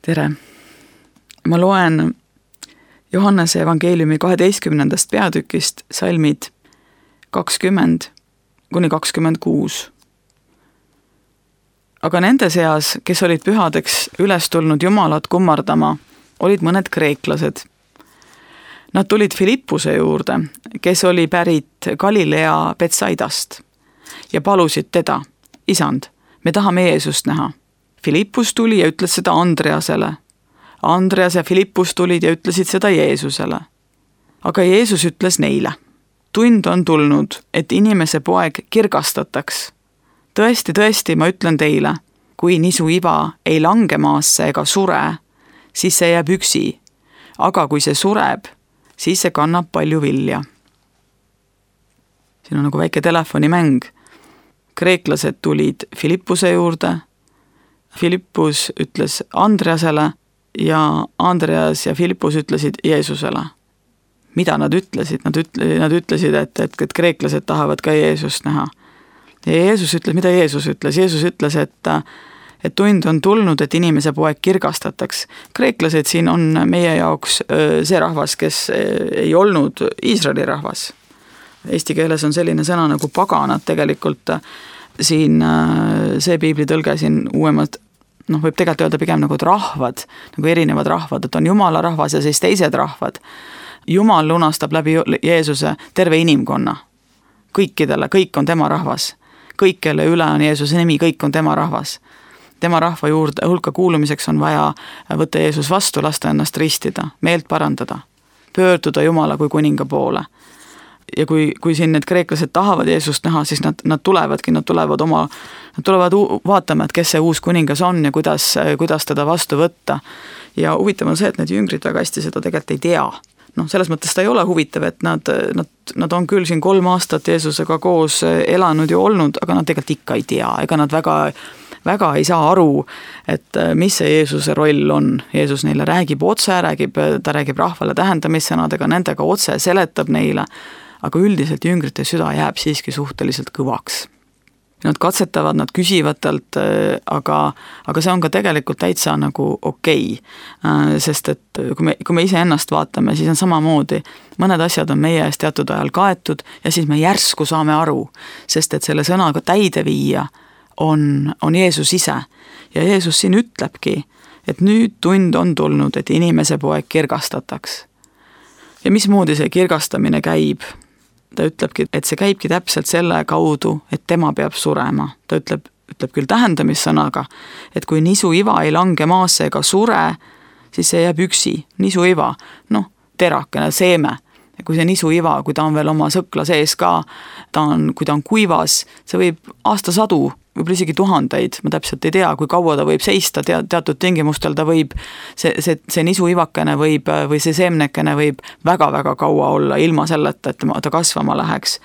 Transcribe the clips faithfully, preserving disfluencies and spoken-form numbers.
tere! Ma loen Johannese evangeeliumi kaheteistkümnendast peatükist salmid kakskümmend kuni kakskümmend kuus. Aga nende seas, kes olid pühadeks üles tulnud Jumalat kummardama, olid mõned kreeklased. Nad tulid Filippuse juurde, kes oli pärit Galilea Betsaidast ja palusid teda, isand, me tahame Jeesust näha. Filippus tuli ja ütles seda Andreasele. Andreas ja Filippus tulid ja ütlesid seda Jeesusele. Aga Jeesus ütles neile, tund on tulnud, et inimese poeg kirgastataks. Tõesti, tõesti, ma ütlen teile, kui nisu iva ei lange maasse ega sure, siis see jääb üksi, aga kui see sureb, siis see kannab palju vilja. Siin on nagu väike telefonimäng. Kreeklased tulid Filippuse juurde, Filippus ütles Andreasele ja Andreas ja Filippus ütlesid Jeesusele. Mida nad ütlesid? Nad, ütle, nad ütlesid, et, et, et kreeklased tahavad ka Jeesust näha. Ja Jeesus ütles, mida Jeesus ütles? Jeesus ütles, et, et tund on tulnud, et inimese poeg kirgastataks. Kreeklased siin on meie jaoks see rahvas, kes ei olnud Iisraeli rahvas. Eesti keeles on selline sõna nagu paganad tegelikult. Siin see piiblitõlge siin uuemad, noh võib tegelikult öelda pigem nagu rahvad, nagu erinevad rahvad, et on Jumala rahvas ja siis teised rahvad. Jumal lunastab läbi Jeesuse terve inimkonna. Kõikidele, kõik on tema rahvas. Kõik, kelle üle on Jeesuse nimi, kõik on tema rahvas. Tema rahva juurde hulka kuulumiseks on vaja võtta Jeesus vastu, lasta ennast ristida, meelt parandada, pöörduda Jumala kui kuninga poole. Ja kui, kui siin need kreeklased tahavad Jeesust näha, siis nad, nad tulevadki, nad tulevad oma, nad tulevad vaatama, et kes see uus kuningas on ja kuidas, kuidas teda vastu võtta. Ja huvitav on see, et need jüngrid väga hästi seda tegelikult ei tea. No, selles mõttes ta ei ole huvitav, et nad, nad, nad on küll siin kolm aastat Jeesusega koos elanud ja olnud, aga nad tegelikult ikka ei tea, ega nad väga, väga ei saa aru, et mis see Jeesuse roll on. Jeesus neile räägib otse, räägib, ta räägib rahvale tähendamissõnadega, nendega otse seletab neile, aga üldiselt jüngrite süda jääb siiski suhteliselt kõvaks. Nad katsetavad, nad küsivad talt, aga, aga see on ka tegelikult täitsa nagu okei. Sest et kui me, kui me ise ennast vaatame, siis on samamoodi. Mõned asjad on meie eest teatud ajal kaetud ja siis me järsku saame aru, sest et selle sõnaga täide viia on, on Jeesus ise. Ja Jeesus siin ütlebki, et nüüd tund on tulnud, et inimese poeg kirgastataks. Ja mismoodi see kirgastamine käib? Ta ütlebki, et see käibki täpselt selle kaudu, et tema peab surema. Ta ütleb, ütleb küll tähendamissõnaga, et kui nisu iva ei lange maasse ega sure, siis see jääb üksi. Nisu iva, noh, terakene, seeme. Ja kui see nisu iva, kui ta on veel oma sõkla sees ka, ta on, kui ta on kuivas, see võib aastasadu, võib isegi tuhandeid, ma täpselt ei tea, kui kaua ta võib seista, te, teatud tingimustel ta võib, see, see, see nisu ivakene võib, või see seemnekene võib väga-väga kaua olla ilma selleta, et ta kasvama läheks.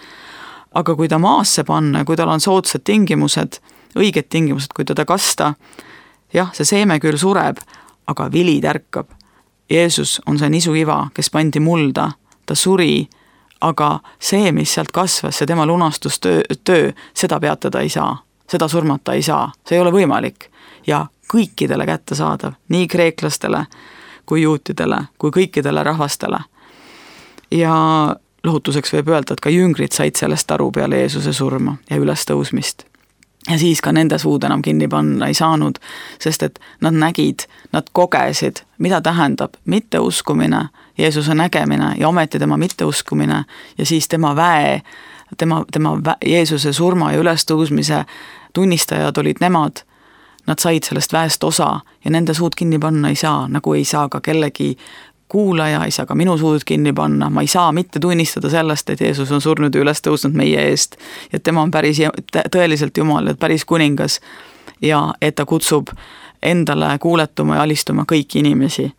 Aga kui ta maasse panna, kui tal on soodsad tingimused, õiged tingimused, kui teda kasta, jah, see seeme küll sureb, aga vili tärkab. Jeesus on see nisu iva, kes pandi mulda, ta suri, aga see, mis sealt kasvas, see tema lunastustöö, töö, seda peatada ei saa. Seda surmata ei saa, see ei ole võimalik ja kõikidele kätte saadav, nii kreeklastele kui juutidele, kui kõikidele rahvastele. Ja lohutuseks võib öelda, et ka jüngrid said sellest aru peale Jeesuse surma ja üles tõusmist. Ja siis ka nende suud enam kinni panna ei saanud, sest et nad nägid, nad kogesid, mida tähendab mitteuskumine, Jeesuse nägemine ja ometi tema mitteuskumine ja siis tema väe, tema, tema vä, Jeesuse surma ja ülestõusmise tunnistajad olid nemad, nad said sellest väest osa ja nende suud kinni panna ei saa, nagu ei saa ka kellegi kuulaja, ei saa ka minu suud kinni panna, ma ei saa mitte tunnistada sellest, et Jeesus on surnud ja üles tõusnud meie eest, et tema on päris tõeliselt Jumal, et päris kuningas ja et ta kutsub endale kuuletuma ja alistuma kõiki inimesi.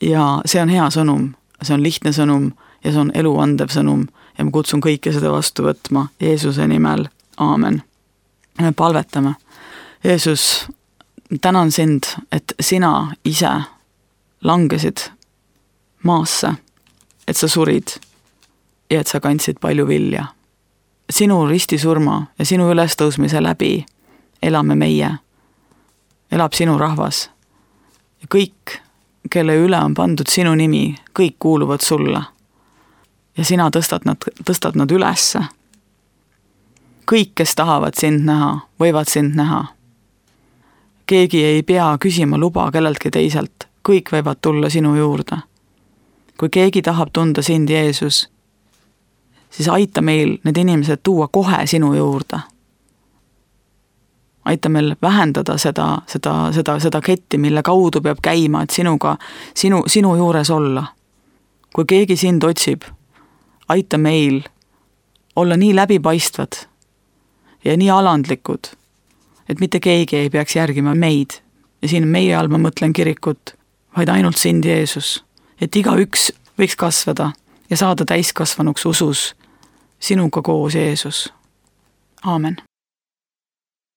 Ja see on hea sõnum, see on lihtne sõnum ja see on elu andev sõnum ja ma kutsun kõike seda vastu võtma Jeesuse nimel. Aamen. Me palvetame. Jeesus, tänan sind, et sina ise langesid maasse, et sa surid ja et sa kandsid palju vilja. Sinu ristisurma ja sinu ülestõusmise läbi elame meie, elab sinu rahvas. Ja kõik, kelle üle on pandud sinu nimi, kõik kuuluvad sulle. Ja sina tõstad nad, tõstad nad ülesse. Kõik, kes tahavad sind näha, võivad sind näha. Keegi ei pea küsima luba kelleltki teiselt, kõik võivad tulla sinu juurde. Kui keegi tahab tunda sind, Jeesus, siis aita meil need inimesed tuua kohe sinu juurde. Aita meil vähendada seda, seda, seda, seda ketti, mille kaudu peab käima, et sinuga, sinu, sinu juures olla. Kui keegi sind otsib, aita meil olla nii läbipaistvad ja nii alandlikud, et mitte keegi ei peaks järgima meid. Ja siin meie all ma mõtlen kirikut, vaid ainult sind, Jeesus. Et iga üks võiks kasvada ja saada täiskasvanuks usus sinuga koos, Jeesus. Aamen.